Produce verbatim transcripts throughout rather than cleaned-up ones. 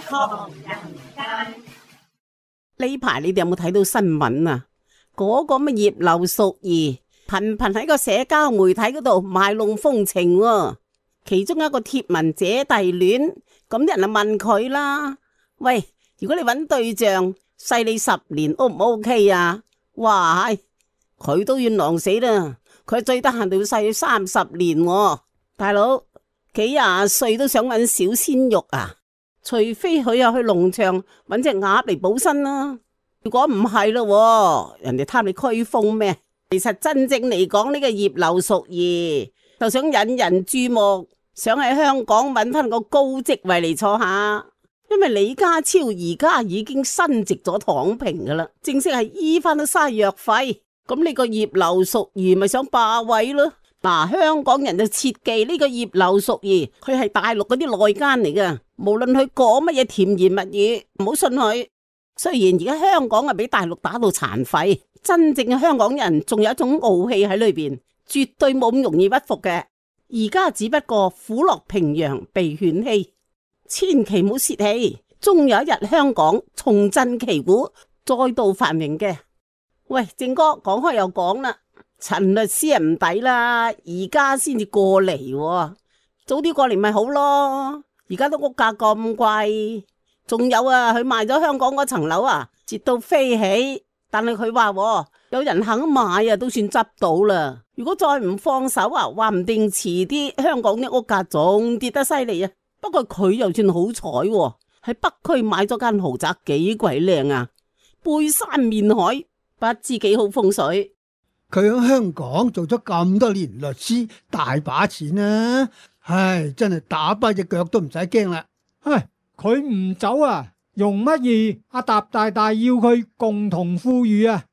唐人街。呢排你哋有冇睇到新聞啊？嗰、個乜葉劉淑儀頻頻喺個社交媒體嗰度賣弄風情喎，其中一個貼文姐弟戀，咁啲人就問佢啦：喂，如果你揾對象細你十年 O 唔 OK 啊？哇，佢都要狼死啦！佢最得閒就要細你三十年喎，大佬幾廿歲都想揾小鮮肉啊！除非佢又去農場揾隻鴨嚟補身啦。如果唔係咯，人哋貪你驅風咩？其實真正嚟講，呢個葉劉淑儀就想引人注目，想喺香港揾翻個高職位嚟坐下。因為李家超而家已經申직咗躺平噶啦，正式係醫翻都嘥藥費。咁呢個葉劉淑儀咪想霸位咯？嗱，香港人就切記呢個葉劉淑儀，佢係大陸嗰啲內奸嚟噶。無論佢講乜嘢甜言蜜語，唔好信佢。雖然而家香港係俾大陸打到殘廢，真正嘅香港人仲有一種傲氣喺裏邊，絕對冇咁容易屈服嘅。而家只不過虎落平陽被犬欺，千祈唔好泄氣，終有一日香港重振旗鼓，再度繁榮嘅。喂，正哥講開又講啦，陳律師啊唔抵啦，而家先至過嚟，早啲過嚟咪好咯。而家都屋價咁貴。仲有啊，佢賣咗香港嗰層樓啊，折到飛起。但係佢話有人肯買啊，都算執到啦。如果再唔放手啊，話唔定遲啲香港啲屋價仲跌得犀利啊。不過佢又算好彩喎，喺北區買咗間豪宅，幾鬼靚啊，背山面海，不知幾好風水。佢喺香港做咗咁多年律師，大把錢啊！唉，真係打跛隻腳都唔使驚啦。唉。佢唔走啊，容乜易？阿習大大要佢共同富裕啊！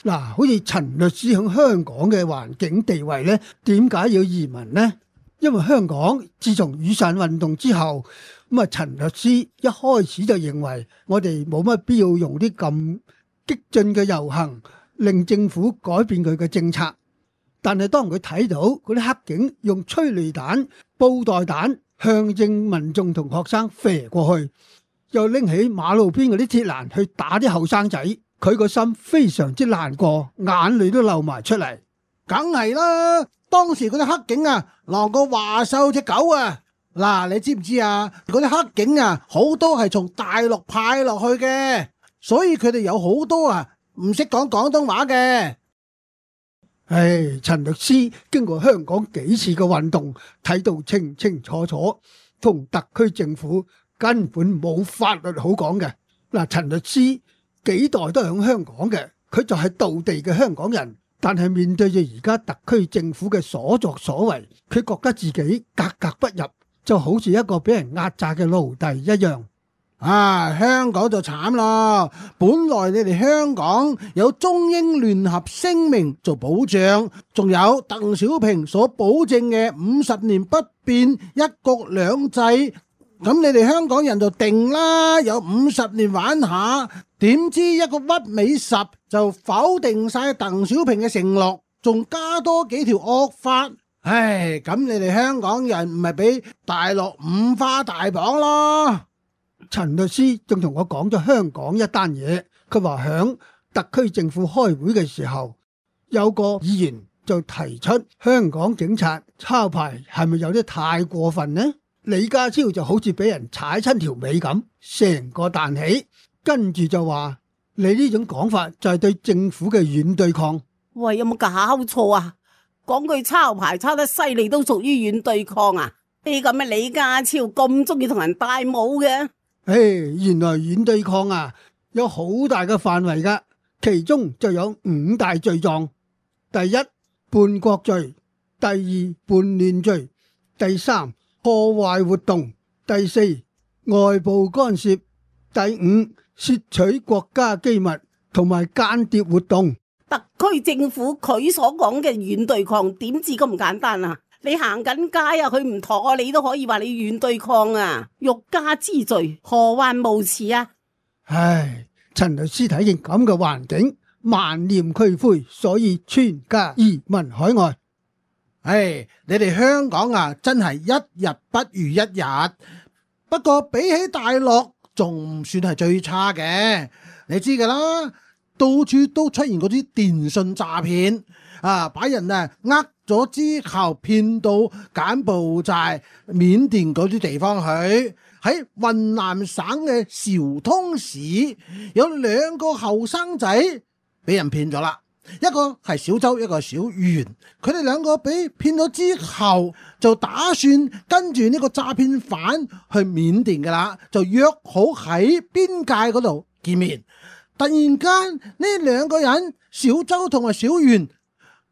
嗱，好似陳律師喺香港嘅環境地位呢，點解要移民呢？因為香港自從雨傘運動之後，咁啊陳律師一開始就認為我哋冇乜必要用啲咁激進嘅遊行，令政府改變佢嘅政策。但係當佢睇到嗰啲黑警用催淚彈、布袋彈向正民眾同學生射過去，又拎起馬路邊嗰啲鐵欄去打啲後生仔，佢個心非常之難過，眼淚都流埋出嚟。梗係啦，當時嗰啲黑警啊，狼過華獸隻狗啊！嗱，你知唔知啊？嗰啲黑警啊，好多係從大陸派落去嘅，所以佢哋有好多啊唔識講廣東話嘅。唉，陳律師經過香港幾次嘅運動，睇到清清楚楚，同特區政府根本冇法律好講嘅。嗱，陳律師幾代都係響香港嘅，佢就係道地嘅香港人，但係面對住而家特區政府嘅所作所為，佢覺得自己格格不入，就好似一個俾人壓榨嘅奴隸一樣。啊，香港就慘咯！本來你哋香港有中英聯合聲明做保障，仲有鄧小平所保證嘅五十年不變一國兩制，咁你哋香港人就定啦，有五十年玩下。點知一個屈尾十就否定晒鄧小平嘅承諾，仲加多幾條惡法。唉，咁你哋香港人唔係俾大陸五花大綁咯？陳律師仲同我講咗香港一單嘢，佢話響特區政府開會嘅時候，有個議員就提出香港警察抄牌係咪有啲太過分呢？李家超就好似俾人踩親條尾咁，成個彈起，跟住就話你呢種講法就係對政府嘅軟對抗。喂，有冇搞錯啊？講句抄牌抄得犀利都屬於軟對抗啊？呢咁嘅李家超咁中意同人戴帽嘅？唉，原來軟對抗啊，有好大嘅範圍噶，其中就有五大罪狀：第一，叛國罪；第二，叛亂罪；第三，破壞活動；第四，外部干涉；第五，竊取國家機密同埋間諜活動。特區政府佢所講嘅軟對抗點至咁簡單啊？你行緊街啊，佢唔妥，你都可以話你軟對抗啊！欲加之罪，何患無辭啊？唉，陳律師睇見咁嘅環境，萬念俱灰，所以全家移民海外。唉，你哋香港啊，真係一日不如一日。不過比起大陸，仲唔算係最差嘅。你知噶啦，到處都出現嗰啲電信詐騙啊，把人啊呃咗之後騙到柬埔寨、緬甸嗰啲地方去。喺雲南省嘅昭通市有兩個後生仔俾人騙咗啦，一個係小周，一個係小袁。佢哋兩個俾騙咗之後，就打算跟住呢個詐騙犯去緬甸噶啦，就約好喺邊界嗰度見面。突然間呢兩個人，小周同埋小袁，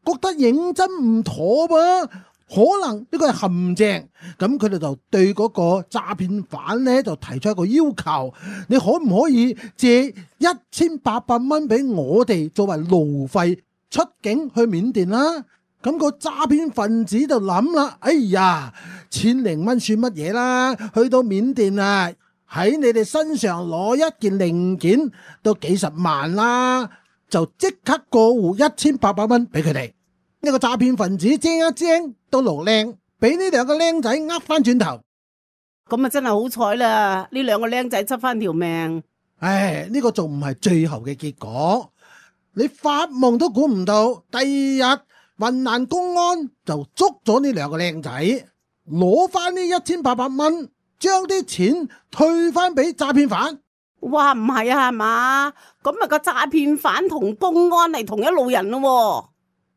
覺得認真唔妥噃，可能呢個係陷阱，咁佢哋就對嗰個詐騙犯呢就提出一個要求，你可唔可以借一千八百蚊俾我哋作為路費出境去緬甸啦？咁個詐騙分子就諗啦，哎呀，千零蚊算乜嘢啦？去到緬甸啊，喺你哋身上攞一件零件都幾十萬啦，就即刻過戶一千八百蚊俾佢哋。呢個詐騙分子精一精到爐靚，俾呢兩個僆仔呃翻轉頭，咁啊真係好彩啦！呢兩個僆仔執翻條命。唉，呢個仲唔係最後嘅結果，你發夢都估唔到，第二日雲南公安就捉咗呢兩個僆仔，攞翻呢一千八百蚊，將啲錢退翻俾詐騙犯。哇，唔係啊，係嘛？咁啊個詐騙犯同公安係同一路人咯。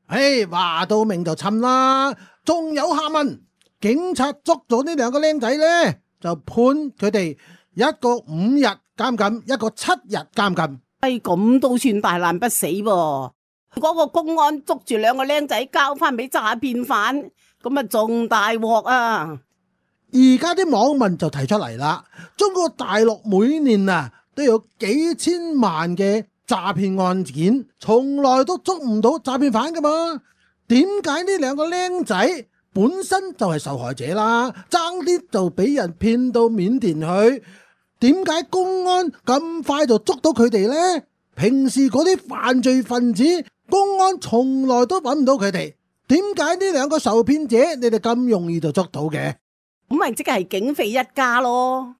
唉，話到明就侵啦，仲有下文。警察捉咗呢兩個僆仔呢，就判佢哋一個五日監禁，一個七日監禁。哎，咁都算大難不死噃。嗰個公安捉住兩個僆仔交翻俾詐騙犯，咁啊仲大鑊啊！而家啲網民就提出嚟啦，中國大陸每年啊都有幾千萬嘅詐騙案件，從來都捉唔到詐騙犯噶嘛？點解呢兩個僆仔本身就係受害者啦，爭啲就俾人騙到緬甸去？點解公安咁快就捉到佢哋呢？平時嗰啲犯罪分子，公安從來都揾唔到佢哋，點解呢兩個受騙者你哋咁容易就捉到嘅？咁咪即係警匪一家咯。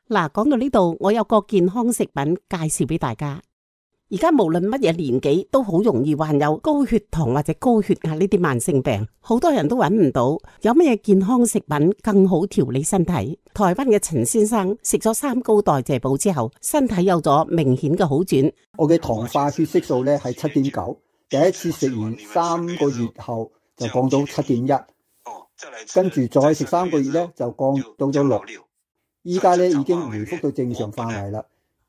嗱，講到呢度，我有個健康食品介紹俾大家。而家無論乜嘢年紀，都好容易患有高血糖或者高血壓呢啲慢性病，好多人都揾唔到有乜嘢健康食品更好調理身體。台灣嘅陳先生食咗三高代謝寶之後，身體有咗明顯嘅好轉。我嘅糖化血色素咧係七點九，第一次食完三個月後就降到七點一，跟住再食三個月咧就降到咗六，依家咧已經回復到正常範圍啦。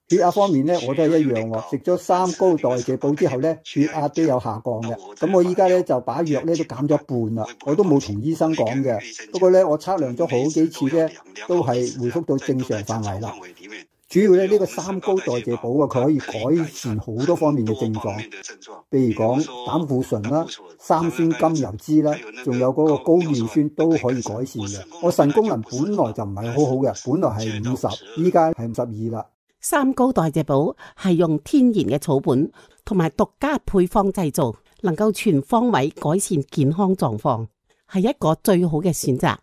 血壓方面咧，我都係一樣喎。食咗三高代謝寶之後咧，血壓都有下降嘅。咁我依家咧就把藥咧都減咗一半啦。我都冇同醫生講嘅。不過咧，我測量咗好幾次咧，都係回復到正常範圍啦。主要咧呢個三高代謝寶啊，佢可以改善好多方面嘅症狀，譬如講膽固醇啦、三酸甘油酯啦，仲有嗰個高尿酸都可以改善嘅。我腎功能本來就唔係好好嘅，本來係五十，依家係五十二啦。三高代謝寶係用天然嘅草本同埋獨家配方製造，能夠全方位改善健康狀況，係一個最好嘅選擇。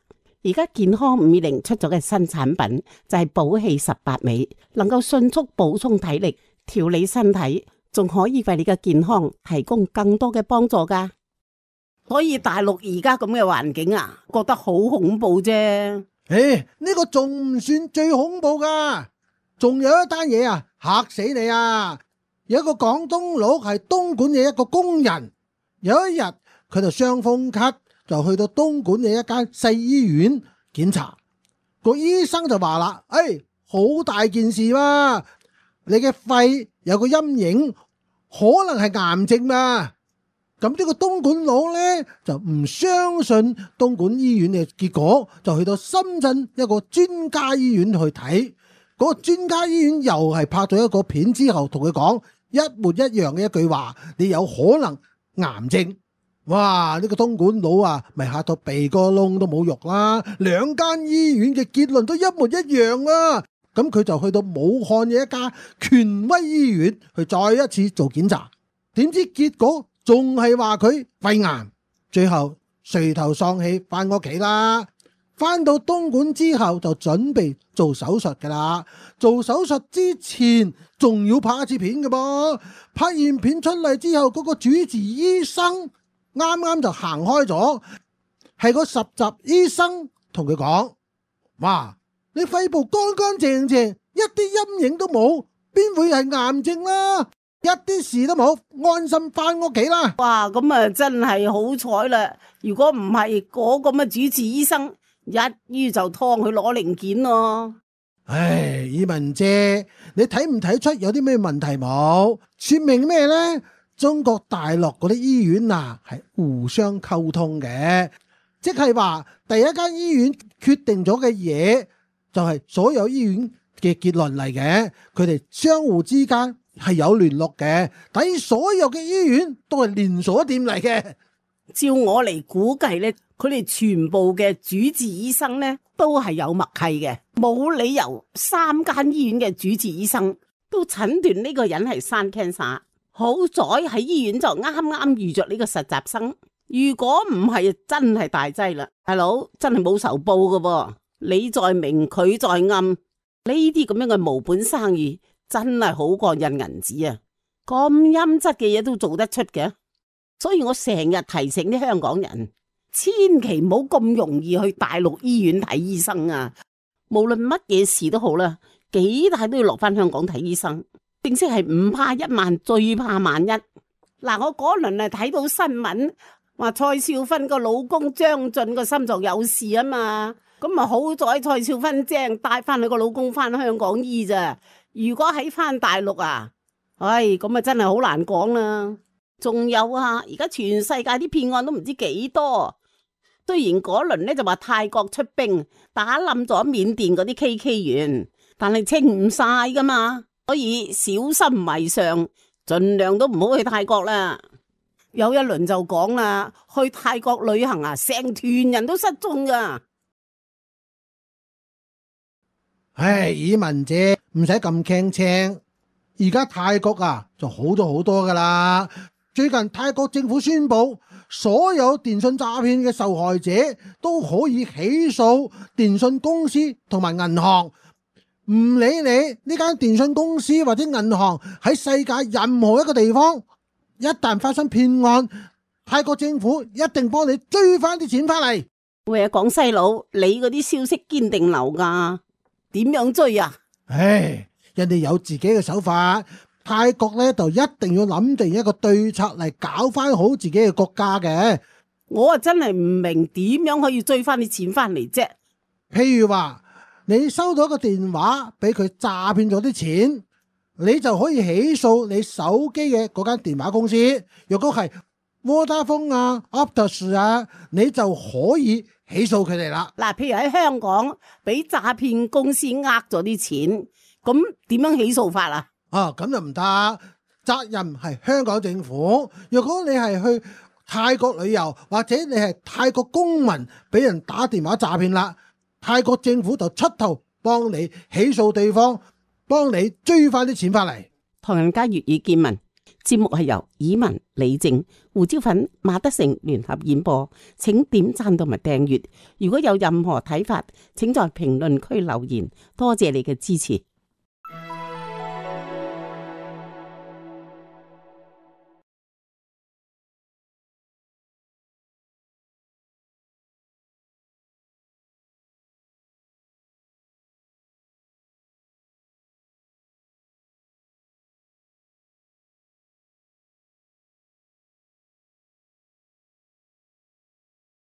而家健康五二零出咗嘅新產品就係寶氣十八味，能夠迅速補充體力、調理身體，仲可以為你嘅健康提供更多嘅幫助噶。所以大陸而家咁嘅環境啊，覺得好恐怖啫。誒，呢個仲唔算最恐怖噶？仲有一單嘢啊，嚇死你啊！有一個廣東佬係東莞嘅一個工人，有一日佢就傷風咳，就去到東莞嘅一間細醫院檢查，個醫生就話啦：誒，好大件事嘛，你嘅肺有個陰影，可能係癌症嘛。咁呢個東莞佬呢，就唔相信東莞醫院嘅結果，就去到深圳一個專家醫院去睇。嗰個專家醫院又係拍咗一個片之後，同佢講一模一樣嘅一句話：你有可能癌症。哇！呢個東莞佬啊，咪嚇到鼻哥窿都冇肉啦！兩間醫院嘅結論都一模一樣啊！咁佢就去到武漢嘅一家權威醫院去再一次做檢查，點知結果仲係話佢肺癌。最後垂頭喪氣翻屋企啦。翻到東莞之後就準備做手術噶啦，做手術之前仲要拍一次片嘅噃，拍完片出嚟之後，嗰個主治醫生啱啱就行開咗，係個實習醫生同佢講：哇，你肺部乾乾淨淨，一啲陰影都冇，邊會係癌症啦？一啲事都冇，安心翻屋企啦！哇，咁啊真係好彩啦！如果唔係嗰個咁嘅主治醫生，一於就劏佢攞零件咯。唉，以文姐，你睇唔睇出有啲咩問題冇？說明咩呢？中國大陸嗰啲醫院啊，係互相溝通嘅，即係話第一間醫院決定咗嘅嘢，就係所有醫院嘅結論嚟嘅，佢哋相互之間係有聯絡嘅，等於所有嘅醫院都係連鎖店嚟嘅。照我嚟估計咧，佢哋全部嘅主治醫生咧都係有默契嘅，冇理由三間醫院嘅主治醫生都診斷呢個人係生 cancer。好在喺醫院就啱啱遇着呢個實習生，如果唔係真係大劑啦，大佬真係冇仇報噶噃。你在明佢在暗，呢啲咁樣嘅無本生意真係好過印銀紙啊！咁陰質嘅嘢都做得出嘅，所以我成日提醒啲香港人，千祈唔好咁容易去大陸醫院睇醫生啊！無論乜嘢事都好啦，幾大都要落翻香港睇醫生。正式係唔怕一萬，最怕萬一。嗱，我嗰輪啊睇到新聞，話蔡少芬個老公張晉個心臟有事啊嘛，咁啊好在蔡少芬正帶翻佢個老公翻香港醫咋。如果喺翻大陸啊，唉，咁啊真係好難講啦。仲有啊，而家全世界啲騙案都唔知幾多。雖然嗰輪咧就話泰國出兵打冧咗緬甸嗰啲 K K 園，但係清唔晒噶嘛。所以小心為上，盡量都唔好去泰國啦。有一輪就講啦，去泰國旅行啊，成團人都失蹤噶。唉，以文姐唔使咁傾青，而家泰國啊就好咗好多噶啦。最近泰國政府宣布，所有電信詐騙嘅受害者都可以起訴電信公司同埋銀行。唔理你呢間電信公司或者銀行喺世界任何一個地方，一旦發生騙案，泰國政府一定幫你追翻啲錢翻嚟。喂啊，廣西佬，你嗰啲消息堅定流噶？點樣追啊？唉，人哋有自己嘅手法，泰國咧就一定要諗定一個對策嚟搞翻好自己嘅國家嘅。我啊真係唔明點樣可以追翻啲錢翻嚟啫。譬如話，你收到一個電話俾佢詐騙咗啲錢，你就可以起訴你手機嘅嗰間電話公司。若果係 Vodafone 啊、Optus 啊，你就可以起訴佢哋啦。嗱，譬如喺香港俾詐騙公司呃咗啲錢，咁點樣起訴法啊？啊，咁就唔得，責任係香港政府。若果你係去泰國旅遊，或者你係泰國公民俾人打電話詐騙啦，泰國政府就出頭幫你起訴對方，幫你追翻啲錢翻嚟。唐人街粵語見聞節目係由以文、李靜、胡椒粉、馬德成聯合演播，請點讚同埋訂閱。如果有任何睇法，請在評論區留言。多謝你嘅支持。